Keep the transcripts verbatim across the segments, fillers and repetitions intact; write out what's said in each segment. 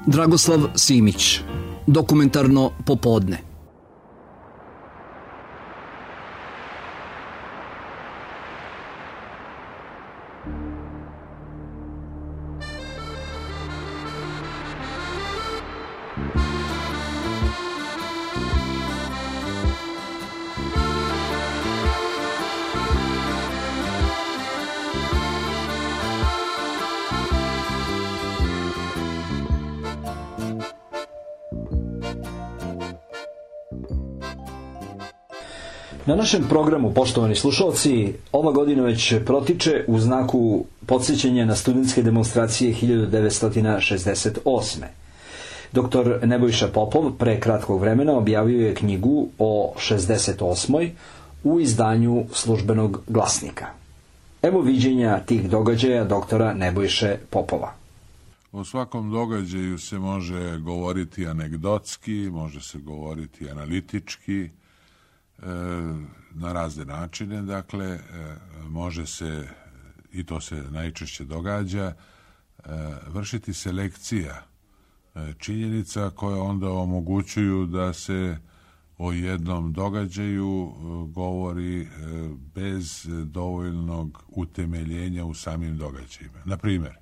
Dragoslav Simić, Dokumentarno popodne. Na našem programu, poštovani slušalci, ova godina već protiče u znaku podsjećanja na studentske demonstracije hiljadu devetsto šezdeset osme. Doktor Nebojša Popov pre kratkog vremena objavio je knjigu o šezdeset osmoj u izdanju Službenog glasnika. Evo viđenja tih događaja doktora Nebojše Popova. O svakom događaju se može govoriti anegdotski, može se govoriti analitički, na razne načine, dakle, može se, i to se najčešće događa, vršiti selekcija činjenica koje onda omogućuju da se o jednom događaju govori bez dovoljnog utemeljenja u samim događajima. Na primjer,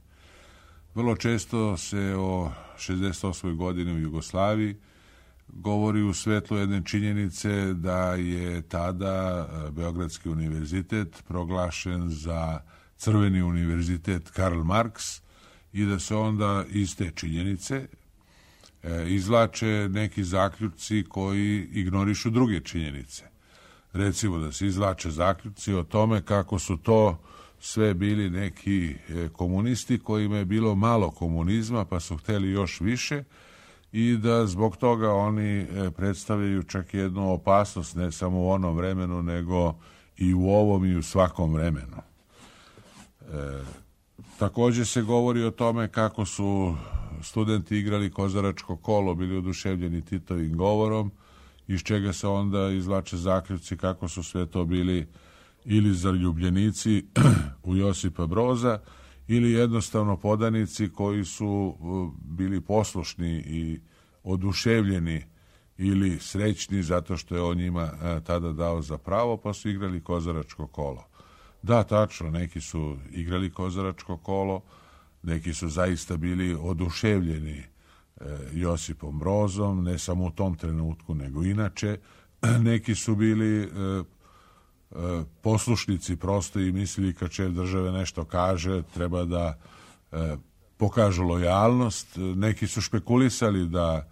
vrlo često se o šezdeset osmoj godini u Jugoslaviji govori u svetlu jedne činjenice da je tada Beogradski univerzitet proglašen za crveni univerzitet Karl Marx i da se onda iz te činjenice izvlače neki zaključci koji ignorišu druge činjenice. Recimo da se izvlače zaključci o tome kako su to sve bili neki komunisti kojima je bilo malo komunizma pa su hteli još više, i da zbog toga oni predstavljaju čak jednu opasnost ne samo u onom vremenu, nego i u ovom i u svakom vremenu. E, također se govori o tome kako su studenti igrali kozaračko kolo, bili oduševljeni Titovim govorom, iz čega se onda izvlače zaključci kako su sve to bili ili zaljubljenici u Josipa Broza, ili jednostavno podanici koji su bili poslušni i oduševljeni ili srećni zato što je on njima tada dao za pravo, pa su igrali kozaračko kolo. Da, tačno, neki su igrali kozaračko kolo, neki su zaista bili oduševljeni Josipom Brozom, ne samo u tom trenutku, nego inače. Neki su bili poslušnici prosto i mislili kad šef države nešto kaže treba da e, pokažu lojalnost. Neki su špekulisali da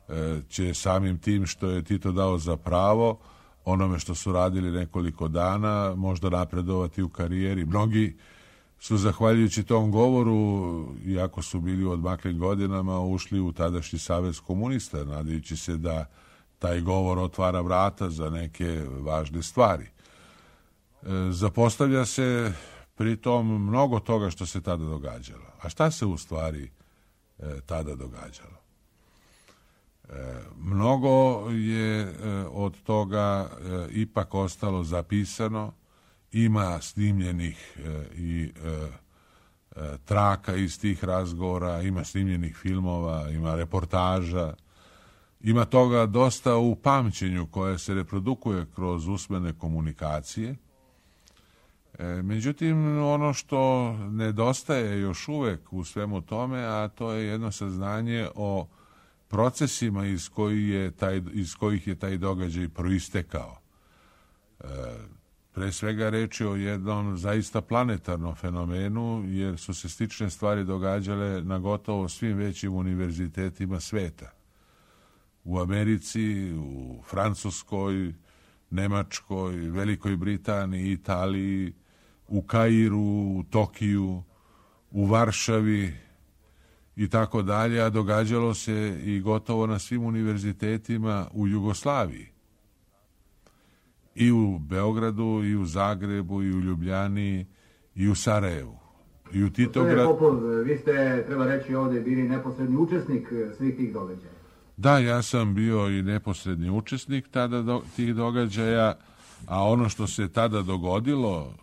e, će samim tim što je Tito dao za pravo onome što su radili nekoliko dana možda napredovati u karijeri. Mnogi su zahvaljujući tom govoru, iako su bili u odmaklim godinama, ušli u tadašnji Savez komunista, nadajući se da taj govor otvara vrata za neke važne stvari. Zapostavlja se pritom mnogo toga što se tada događalo. A šta se u stvari e, tada događalo? E, mnogo je e, od toga e, ipak ostalo zapisano, ima snimljenih e, i e, e, traka iz tih razgovora, ima snimljenih filmova, ima reportaža, ima toga dosta u pamćenju koje se reprodukuje kroz usmene komunikacije. E, međutim, ono što nedostaje još uvek u svemu tome, a to je jedno saznanje o procesima iz, koji je taj, iz kojih je taj događaj proistekao. E, pre svega reč je o jednom zaista planetarnom fenomenu, jer su se slične stvari događale na gotovo svim većim univerzitetima sveta. U Americi, u Francuskoj, Nemačkoj, Velikoj Britaniji, Italiji, u Kairu, u Tokiju, u Varšavi i tako dalje, a događalo se i gotovo na svim univerzitetima u Jugoslaviji. I u Beogradu, i u Zagrebu, i u Ljubljani, i u Sarajevu. I u Titogradu. Popov, vi ste, treba reći, ovdje bili neposredni učesnik svih tih događaja. Da, ja sam bio i neposredni učesnik tada do, tih događaja, a ono što se tada dogodilo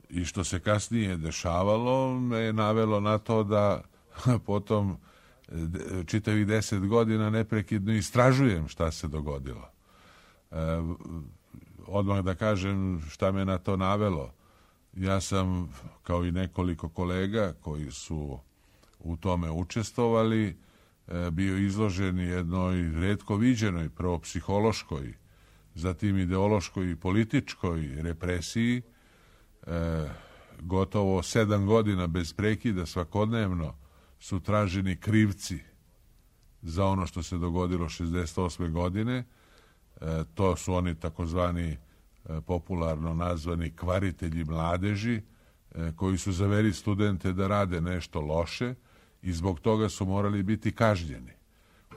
i što se kasnije dešavalo me je navelo na to da potom čitavih deset godina neprekidno istražujem šta se dogodilo. E, odmah da kažem šta me na to navelo. Ja sam, kao i nekoliko kolega koji su u tome učestvovali, e, bio izložen jednoj retko viđenoj, prvo psihološkoj, zatim ideološkoj i političkoj represiji. E, gotovo sedam godina bez prekida svakodnevno su traženi krivci za ono što se dogodilo šezdeset osme godine. E, to su oni takozvani e, popularno nazvani kvaritelji mladeži, e, koji su zaveli studente da rade nešto loše i zbog toga su morali biti kažnjeni.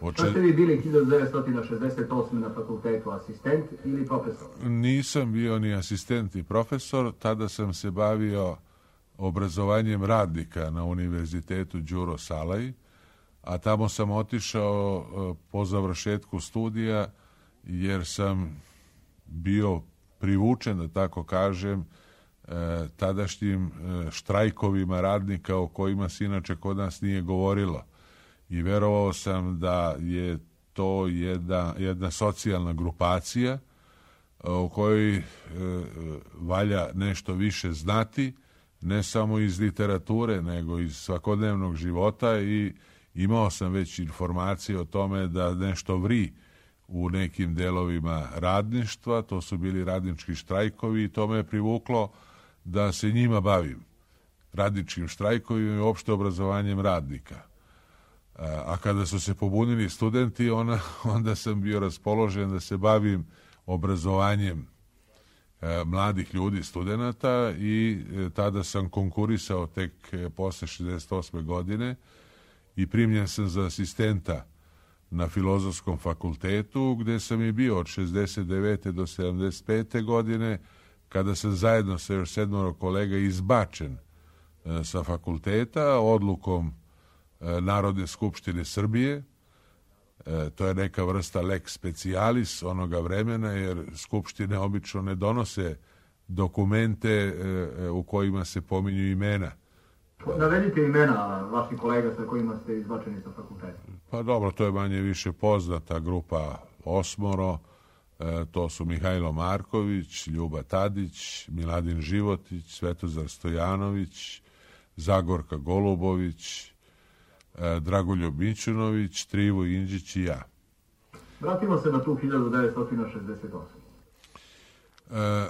Oče... Što ste vi bili hiljadu devetsto šezdeset osme na fakultetu, asistent ili profesor? Nisam bio ni asistent ni profesor, tada sam se bavio obrazovanjem radnika na Univerzitetu Đuro Salaj, a tamo sam otišao po završetku studija jer sam bio privučen, da tako kažem, tadašnjim štrajkovima radnika o kojima se inače kod nas nije govorilo. I verovao sam da je to jedna, jedna socijalna grupacija o kojoj e, valja nešto više znati, ne samo iz literature, nego iz svakodnevnog života, i imao sam već informacije o tome da nešto vri u nekim delovima radništva. To su bili radnički štrajkovi i to me je privuklo da se njima bavim, radničkim štrajkovima i opšte obrazovanjem radnika. A kada su se pobunili studenti, ona, onda sam bio raspoložen da se bavim obrazovanjem e, mladih ljudi, studenata, i e, tada sam konkurisao tek e, posle šezdeset osme godine i primljen sam za asistenta na Filozofskom fakultetu, gde sam i bio od šezdeset devete do sedamdeset pete godine, kada sam zajedno sa još sedmoro kolega izbačen e, sa fakulteta odlukom Narodne skupštine Srbije. E, to je neka vrsta lex specialis onoga vremena, jer skupštine obično ne donose dokumente e, u kojima se pominju imena. Navedite imena vaših kolega sa kojima ste izbačeni sa fakulteta. Pa dobro, to je manje više poznata grupa osmoro. E, to su Mihajlo Marković, Ljuba Tadić, Miladin Životić, Svetozar Stojanović, Zagorka Golubović, Dragoljub Mićunović, Trivo Inđić i ja. Vratimo se na tu hiljadu devetsto šezdeset osme. E,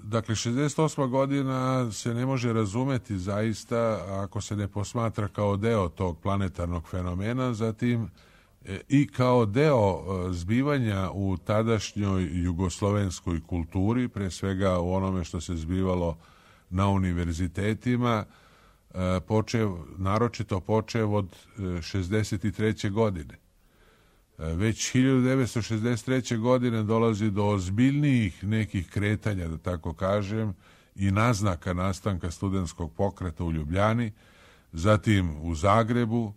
dakle, šezdeset osma godina se ne može razumeti zaista ako se ne posmatra kao deo tog planetarnog fenomena, zatim e, i kao deo e, zbivanja u tadašnjoj jugoslovenskoj kulturi, pre svega u onome što se zbivalo na univerzitetima, počev, naročito počev od šezdeset treće godine. Već hiljadu devetsto šezdeset treće godine dolazi do ozbiljnijih nekih kretanja, da tako kažem, i naznaka nastanka studentskog pokreta u Ljubljani, zatim u Zagrebu,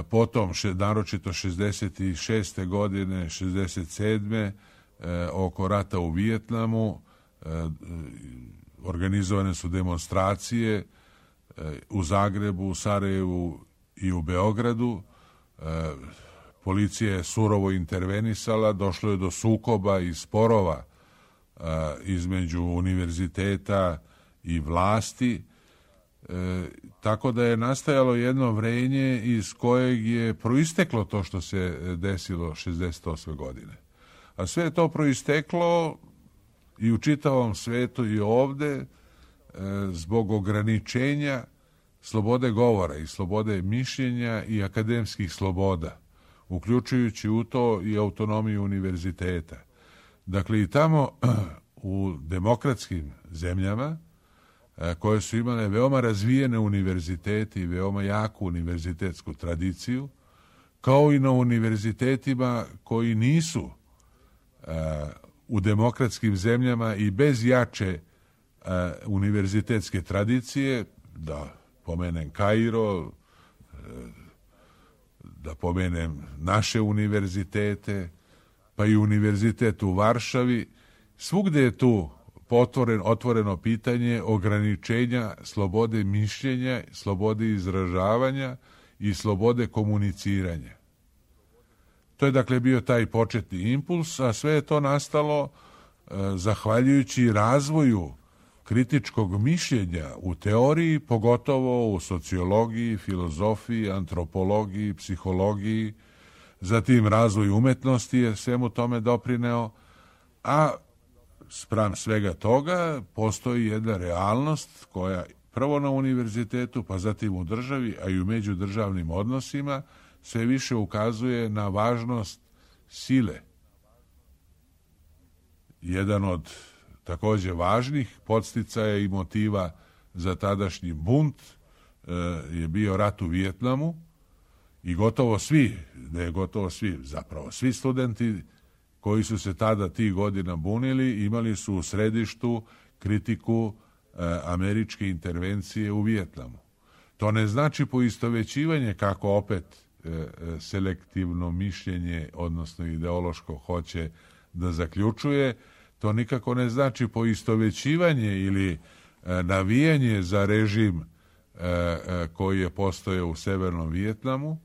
potom naročito šezdeset šeste godine, šezdeset sedme oko rata u Vijetnamu, organizovane su demonstracije u Zagrebu, u Sarajevu i u Beogradu. Policija je surovo intervenisala, došlo je do sukoba i sporova između univerziteta i vlasti, tako da je nastajalo jedno vrenje iz kojeg je proisteklo to što se desilo šezdeset osme godine. A sve je to proisteklo i u čitavom svetu i ovde zbog ograničenja slobode govora i slobode mišljenja i akademskih sloboda, uključujući u to i autonomiju univerziteta. Dakle, i tamo u demokratskim zemljama koje su imale veoma razvijene univerzitete i veoma jaku univerzitetsku tradiciju, kao i na univerzitetima koji nisu u demokratskim zemljama i bez jače univerzitetske tradicije, da pomenem Kairo, da pomenem naše univerzitete, pa i univerzitet u Varšavi, svugde je tu potvoren, otvoreno pitanje ograničenja slobode mišljenja, slobode izražavanja i slobode komuniciranja. To je dakle bio taj početni impuls, a sve je to nastalo e, zahvaljujući razvoju kritičkog mišljenja u teoriji, pogotovo u sociologiji, filozofiji, antropologiji, psihologiji, zatim razvoj umetnosti je svemu tome doprineo, a spram svega toga postoji jedna realnost koja prvo na univerzitetu, pa zatim u državi, a i u međudržavnim odnosima sve više ukazuje na važnost sile. Jedan od također važnih podsticaja i motiva za tadašnji bunt e, je bio rat u Vijetnamu i gotovo svi, ne gotovo svi, zapravo svi studenti koji su se tada tih godina bunili imali su u središtu kritiku e, američke intervencije u Vijetnamu. To ne znači poistovećivanje kako opet e, selektivno mišljenje, odnosno ideološko hoće da zaključuje. To nikako ne znači poistovećivanje ili e, navijanje za režim e, e, koji je postojao u Severnom Vijetnamu,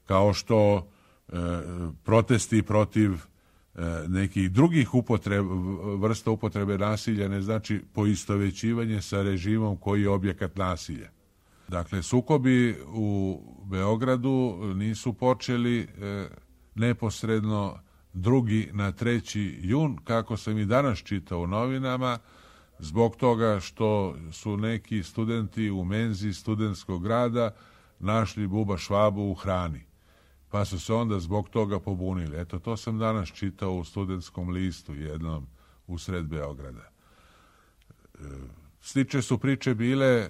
kao što e, protesti protiv e, nekih drugih upotreb, vrsta upotrebe nasilja ne znači poistovećivanje sa režimom koji je objekat nasilja. Dakle, sukobi u Beogradu nisu počeli e, neposredno drugi na treći jun, kako sam i danas čitao u novinama, zbog toga što su neki studenti u menzi studentskog grada našli Buba Švabu u hrani. Pa su se onda zbog toga pobunili. Eto, to sam danas čitao u studentskom listu jednom u sred Beograda. E, slične su priče bile e,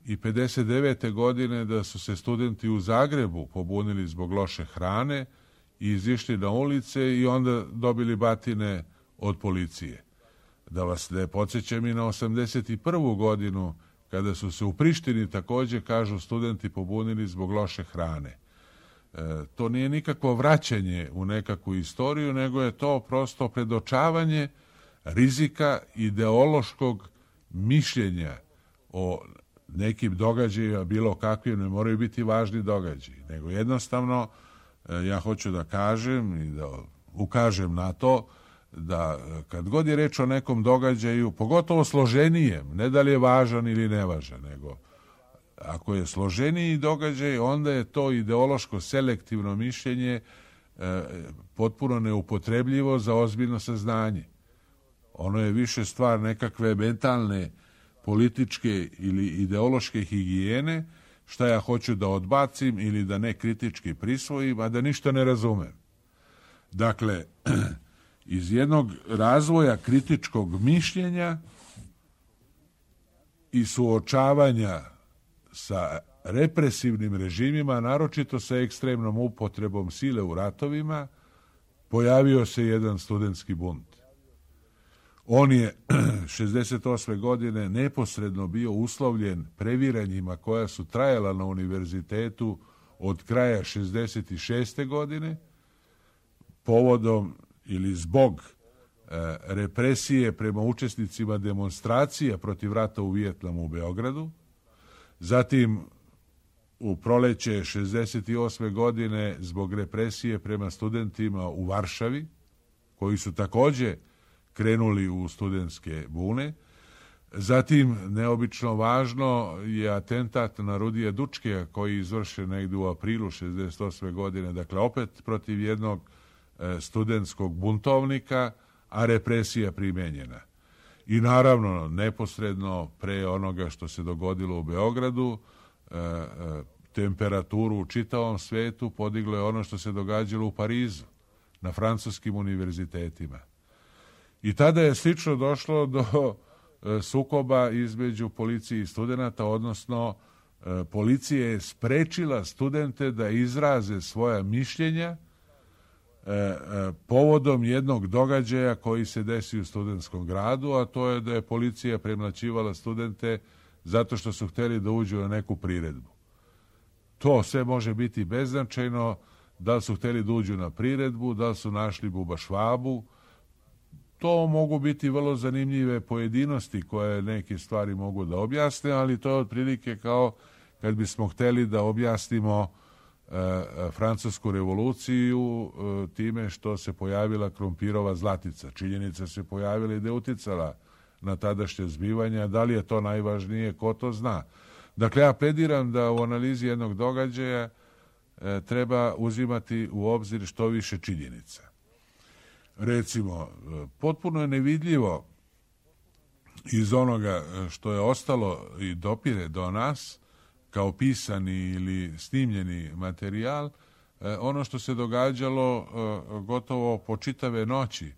i pedeset devete godine da su se studenti u Zagrebu pobunili zbog loše hrane i izišli na ulice i onda dobili batine od policije. Da vas ne podsjećam i na osamdeset prvu godinu kada su se u Prištini također, kažu, studenti pobunili zbog loše hrane. E, to nije nikakvo vraćanje u nekakvu istoriju, nego je to prosto predočavanje rizika ideološkog mišljenja o nekim događajima, bilo kakvim, ne moraju biti važni događaji, nego jednostavno ja hoću da kažem i da ukažem na to da kad god je reč o nekom događaju, pogotovo složenijem, ne da li je važan ili nevažan, nego ako je složeniji događaj, onda je to ideološko selektivno mišljenje e, potpuno neupotrebljivo za ozbiljno saznanje. Ono je više stvar nekakve mentalne, političke ili ideološke higijene, šta ja hoću da odbacim ili da ne kritički prisvojim, a da ništa ne razumem. Dakle, iz jednog razvoja kritičkog mišljenja i suočavanja sa represivnim režimima, naročito sa ekstremnom upotrebom sile u ratovima, pojavio se jedan studentski bunt. On je šezdeset osme godine neposredno bio uslovljen previranjima koja su trajala na univerzitetu od kraja šezdeset šeste godine, povodom ili zbog e, represije prema učesnicima demonstracija protiv rata u Vijetnamu u Beogradu, zatim u proleće šezdeset osme godine zbog represije prema studentima u Varšavi, koji su također krenuli u studentske bune. Zatim, neobično važno je atentat na Rudija Dučkija koji je izvršen negdje u aprilu šezdeset osme godine, dakle opet protiv jednog e, studentskog buntovnika, a represija primenjena. I naravno, neposredno pre onoga što se dogodilo u Beogradu, e, e, temperaturu u čitavom svetu podiglo je ono što se događalo u Parizu, na francuskim univerzitetima. I tada je slično došlo do e, sukoba između policije i studenata, odnosno e, policija je sprečila studente da izraze svoja mišljenja e, e, povodom jednog događaja koji se desi u studentskom gradu, a to je da je policija premlaćivala studente zato što su htjeli da uđu na neku priredbu. To sve može biti beznačajno, da li su htjeli da uđu na priredbu, da li su našli Buba Švabu. To mogu biti vrlo zanimljive pojedinosti koje neke stvari mogu da objasne, ali to je otprilike kao kad bismo hteli da objasnimo e, Francusku revoluciju e, time što se pojavila krompirova zlatica. Činjenica se pojavila i da je uticala na tadašnje zbivanja. Da li je to najvažnije, ko to zna? Dakle, ja plediram da u analizi jednog događaja e, treba uzimati u obzir što više činjenica. Recimo, potpuno je nevidljivo iz onoga što je ostalo i dopire do nas kao pisani ili snimljeni materijal, ono što se događalo gotovo po čitave noći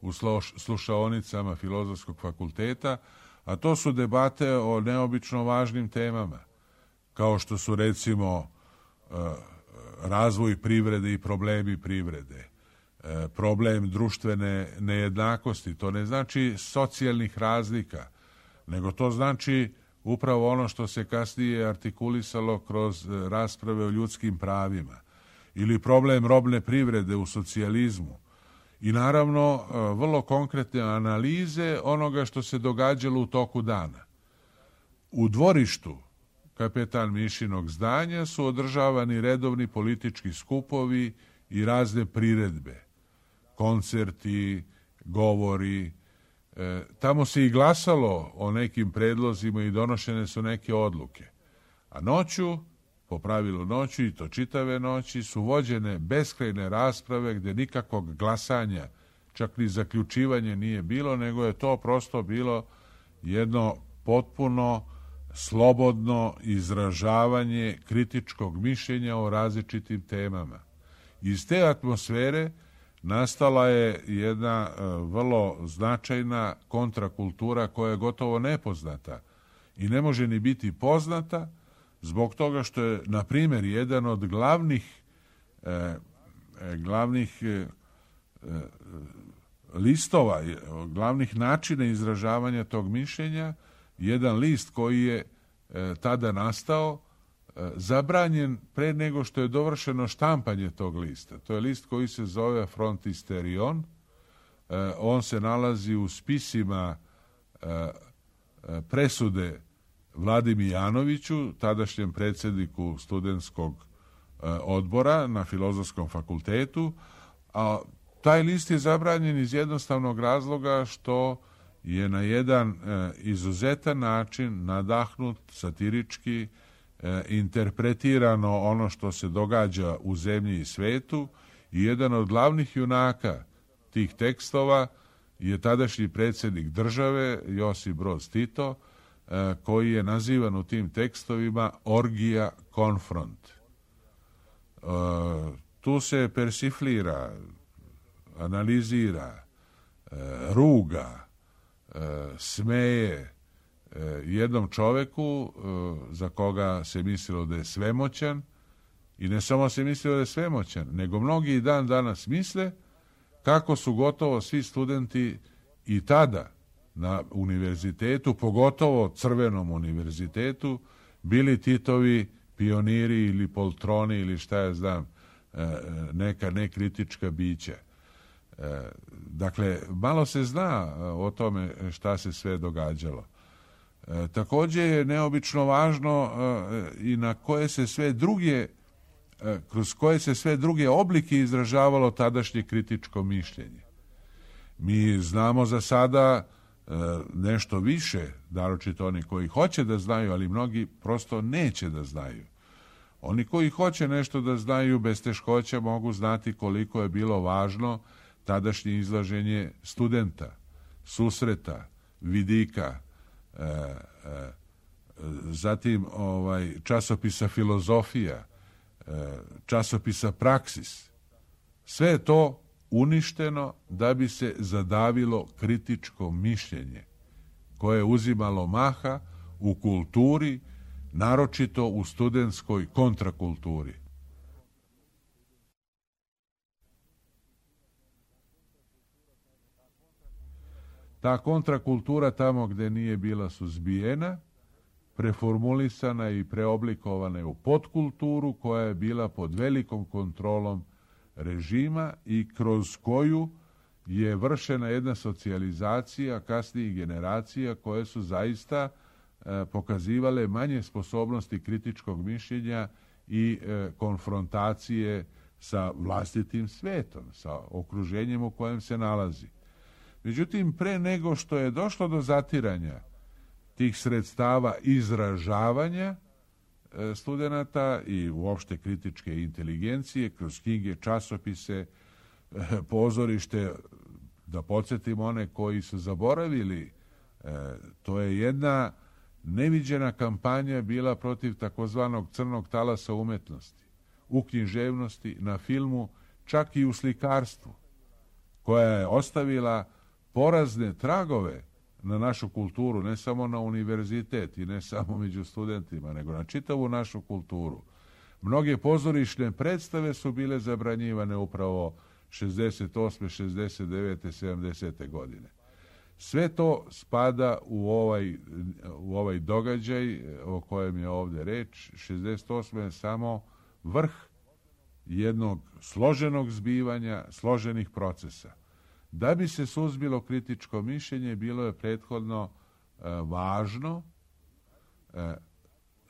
u slušaonicama Filozofskog fakulteta, a to su debate o neobično važnim temama, kao što su recimo razvoj privrede i problemi privrede, problem društvene nejednakosti. To ne znači socijalnih razlika, nego to znači upravo ono što se kasnije artikulisalo kroz rasprave o ljudskim pravima, ili problem robne privrede u socijalizmu. I naravno vrlo konkretne analize onoga što se događalo u toku dana. U dvorištu Kapetan Mišinog zdanja su održavani redovni politički skupovi i razne priredbe, koncerti, govori. E, tamo se i glasalo o nekim predlozima i donošene su neke odluke. A noću, po pravilu noći, i to čitave noći, su vođene beskrajne rasprave gdje nikakvog glasanja, čak ni zaključivanje nije bilo, nego je to prosto bilo jedno potpuno slobodno izražavanje kritičkog mišljenja o različitim temama. Iz te atmosfere nastala je jedna uh, vrlo značajna kontrakultura koja je gotovo nepoznata i ne može ni biti poznata zbog toga što je, na primjer, jedan od glavnih eh, glavnih eh, listova, glavnih načina izražavanja tog mišljenja, jedan list koji je eh, tada nastao, zabranjen pre nego što je dovršeno štampanje tog lista. To je list koji se zove Frontisterion. On se nalazi u spisima presude Vladi Mijanoviću, tadašnjem predsjedniku studentskog odbora na Filozofskom fakultetu, a taj list je zabranjen iz jednostavnog razloga što je na jedan izuzetan način nadahnut, satirički, interpretirano ono što se događa u zemlji i svetu, i jedan od glavnih junaka tih tekstova je tadašnji predsjednik države Josip Broz Tito, koji je nazivan u tim tekstovima orgija konfront. Tu se persiflira, analizira, ruga, smeje jednom čoveku za koga se mislilo da je svemoćan, i ne samo se mislilo da je svemoćan, nego mnogi i dan danas misle kako su gotovo svi studenti i tada na univerzitetu, pogotovo Crvenom univerzitetu, bili Titovi pioniri ili poltroni ili šta ja znam, neka nekritička bića. Dakle, malo se zna o tome šta se sve događalo. E, također je neobično važno e, i na koje se sve druge, e, kroz koje se sve druge oblike izražavalo tadašnje kritičko mišljenje. Mi znamo za sada e, nešto više, naročito oni koji hoće da znaju, ali mnogi prosto neće da znaju. Oni koji hoće nešto da znaju bez teškoća mogu znati koliko je bilo važno tadašnje izlaženje studenta, susreta, vidika, E, e, zatim ovaj časopisa Filozofija, e, časopisa Praksis. Sve je to uništeno da bi se zadavilo kritičko mišljenje koje je uzimalo maha u kulturi, naročito u studentskoj kontrakulturi. Ta kontrakultura tamo gdje nije bila suzbijena, preformulisana i preoblikovana je u podkulturu koja je bila pod velikom kontrolom režima i kroz koju je vršena jedna socijalizacija kasnijih generacija koje su zaista e, pokazivale manje sposobnosti kritičkog mišljenja i konfrontacije sa vlastitim svetom, sa okruženjem u kojem se nalazi. Međutim, pre nego što je došlo do zatiranja tih sredstava izražavanja studenata i uopšte kritičke inteligencije kroz knjige, časopise, pozorište, da podsjetim one koji su zaboravili, to je jedna neviđena kampanja bila protiv takozvanog crnog talasa umetnosti, u književnosti, na filmu, čak i u slikarstvu, koja je ostavila porazne tragove na našu kulturu, ne samo na univerzitet i ne samo među studentima, nego na čitavu našu kulturu. Mnoge pozorišne predstave su bile zabranjivane upravo šezdeset osme, šezdeset devete, sedamdesete godine. Sve to spada u ovaj, u ovaj događaj o kojem je ovdje reč. šezdeset osme je samo vrh jednog složenog zbivanja, složenih procesa. Da bi se suzbilo kritičko mišljenje, bilo je prethodno e, važno e,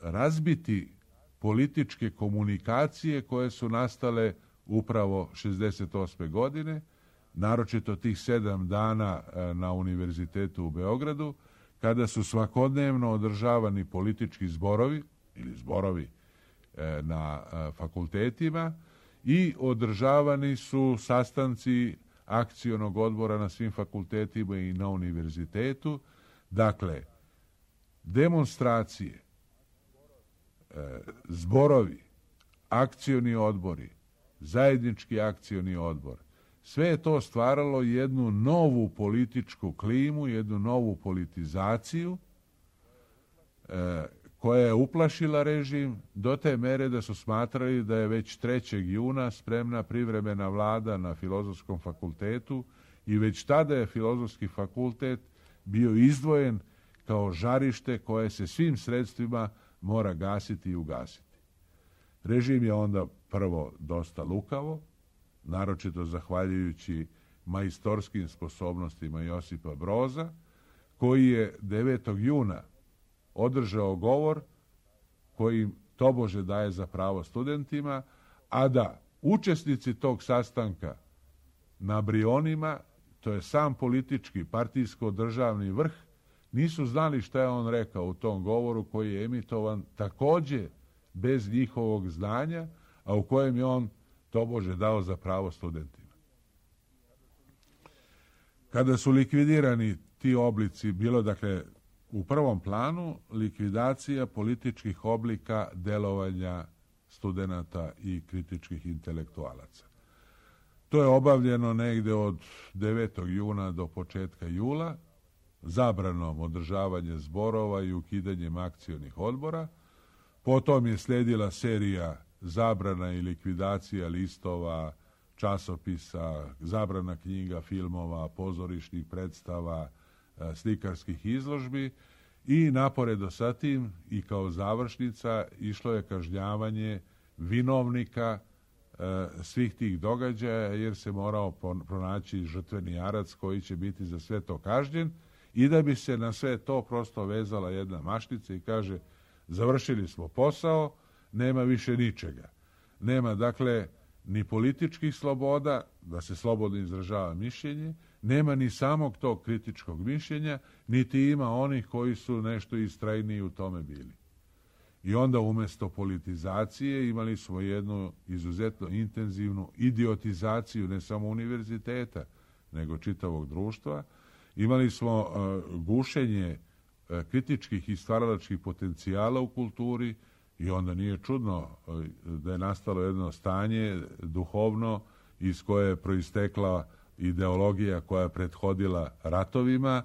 razbiti političke komunikacije koje su nastale upravo šezdeset osme godine, naročito tih sedam dana e, na Univerzitetu u Beogradu, kada su svakodnevno održavani politički zborovi ili zborovi e, na e, fakultetima i održavani su sastanci akcionog odbora na svim fakultetima i na univerzitetu. Dakle, demonstracije, e, zborovi, akcioni odbori, zajednički akcioni odbor, sve je to stvaralo jednu novu političku klimu, jednu novu politizaciju e, koja je uplašila režim do te mere da su smatrali da je već trećeg juna spremna privremena vlada na Filozofskom fakultetu i već tada je Filozofski fakultet bio izdvojen kao žarište koje se svim sredstvima mora gasiti i ugasiti. Režim je onda prvo dosta lukavo, naročito zahvaljujući majstorskim sposobnostima Josipa Broza, koji je devetog juna održao govor koji tobože daje za pravo studentima, a da učesnici tog sastanka na Brionima, to je sam politički partijsko-državni vrh, nisu znali šta je on rekao u tom govoru koji je emitovan također bez njihovog znanja, a u kojem je on tobože dao za pravo studentima. Kada su likvidirani ti oblici, bilo dakle u prvom planu likvidacija političkih oblika delovanja studenata i kritičkih intelektualaca. To je obavljeno negde od devetog juna do početka jula, zabranom održavanja zborova i ukidanjem akcionih odbora. Potom je slijedila serija zabrana i likvidacija listova, časopisa, zabrana knjiga, filmova, pozorišnih predstava, slikarskih izložbi i naporedo sa tim i kao završnica išlo je kažnjavanje vinovnika e, svih tih događaja, jer se morao pronaći žrtveni jarac koji će biti za sve to kažnjen i da bi se na sve to prosto vezala jedna mašnica i kaže završili smo posao, nema više ničega. Nema dakle ni političkih sloboda, da se slobodno izražava mišljenje, nema ni samog tog kritičkog mišljenja, niti ima onih koji su nešto istrajniji u tome bili. I onda umjesto politizacije imali smo jednu izuzetno intenzivnu idiotizaciju ne samo univerziteta, nego čitavog društva. Imali smo uh, gušenje uh, kritičkih i stvaralačkih potencijala u kulturi i onda nije čudno uh, da je nastalo jedno stanje duhovno iz koje je proistekla ideologija koja je prethodila ratovima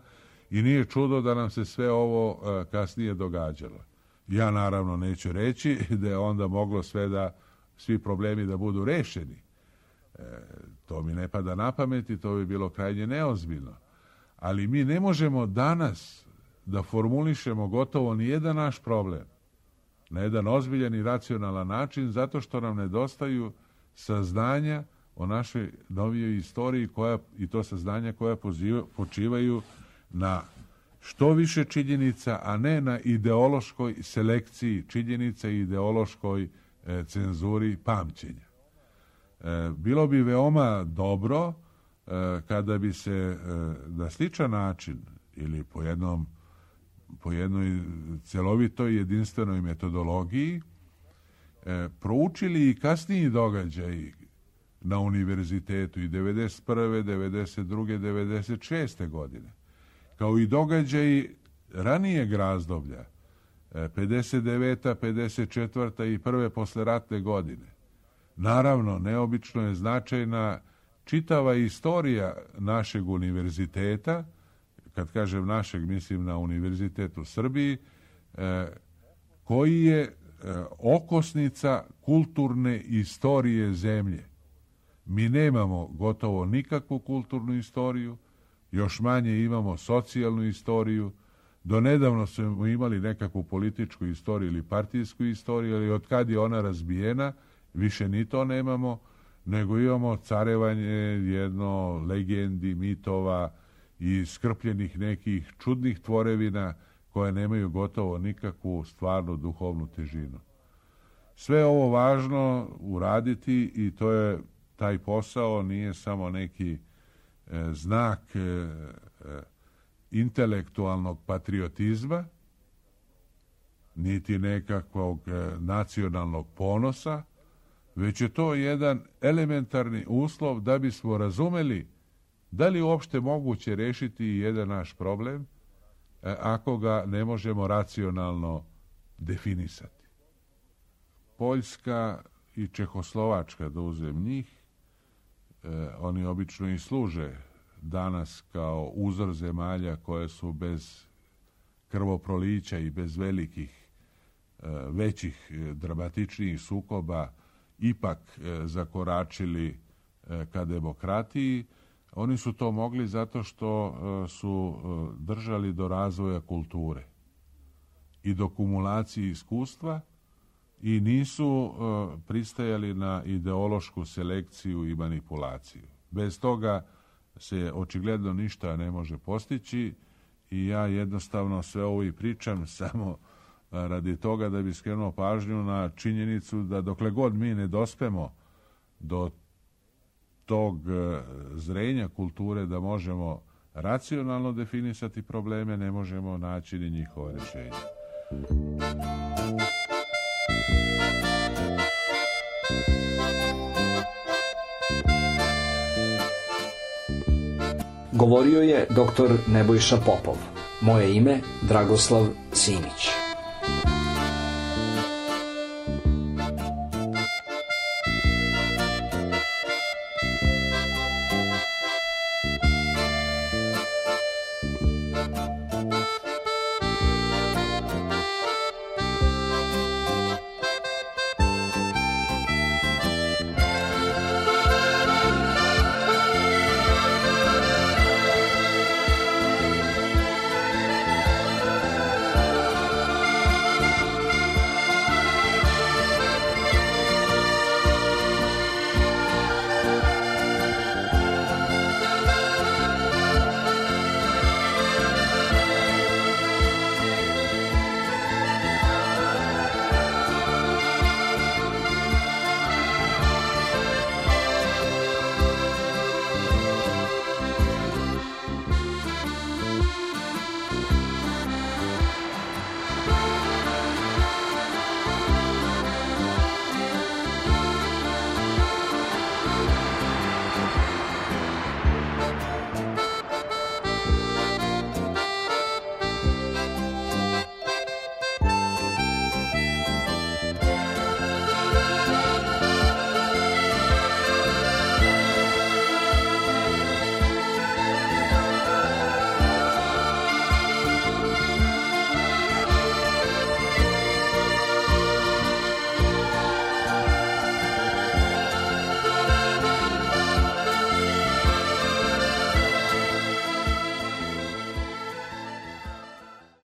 i nije čudo da nam se sve ovo uh, kasnije događalo. Ja naravno neću reći da je onda moglo sve da, svi problemi da budu rešeni. E, to mi ne pada na pamet i to bi bilo krajnje neozbiljno. Ali mi ne možemo danas da formulišemo gotovo ni jedan naš problem na jedan ozbiljan i racionalan način zato što nam nedostaju saznanja o našoj novijoj istoriji koja, i to saznanja koja pozivaju, počivaju na što više činjenica, a ne na ideološkoj selekciji činjenica i ideološkoj e, cenzuri pamćenja. E, bilo bi veoma dobro e, kada bi se e, na sličan način ili po jednom po jednoj celovitoj jedinstvenoj metodologiji e, proučili i kasniji događaji na univerzitetu i devedeset prve, devedeset druge, devedeset šeste godine, kao i događaji ranijeg razdoblja, pedeset deveta, pedeset četvrta i prve posleratne godine. Naravno, neobično je značajna čitava istorija našeg univerziteta, kad kažem našeg, mislim na univerzitet u Srbiji, koji je okosnica kulturne istorije zemlje. Mi nemamo gotovo nikakvu kulturnu istoriju, još manje imamo socijalnu istoriju. Do nedavno smo imali nekakvu političku istoriju ili partijsku istoriju, ali od kad je ona razbijena, više ni to nemamo, nego imamo carevanje jedno legendi, mitova i skrpljenih nekih čudnih tvorevina koje nemaju gotovo nikakvu stvarnu duhovnu težinu. Sve ovo važno uraditi i to je taj posao, nije samo neki e, znak e, e, intelektualnog patriotizma, niti nekakvog e, nacionalnog ponosa, već je to jedan elementarni uslov da bismo razumeli da li uopšte moguće rešiti jedan naš problem e, ako ga ne možemo racionalno definisati. Poljska i Čehoslovačka, da uzem njih, e, oni obično i služe danas kao uzor zemalja koje su bez krvoprolića i bez velikih, e, većih, dramatičnijih sukoba ipak e, zakoračili e, ka demokratiji. Oni su to mogli zato što e, su e, držali do razvoja kulture i do kumulacije iskustva i nisu e, pristajali na ideološku selekciju i manipulaciju. Bez toga se očigledno ništa ne može postići i ja jednostavno sve ovo i pričam samo radi toga da bi skrenuo pažnju na činjenicu da dokle god mi ne dospemo do tog zrenja kulture da možemo racionalno definisati probleme, ne možemo naći ni njihova rješenja. Govorio je doktor Nebojša Popov. Moje ime Dragoslav Simić.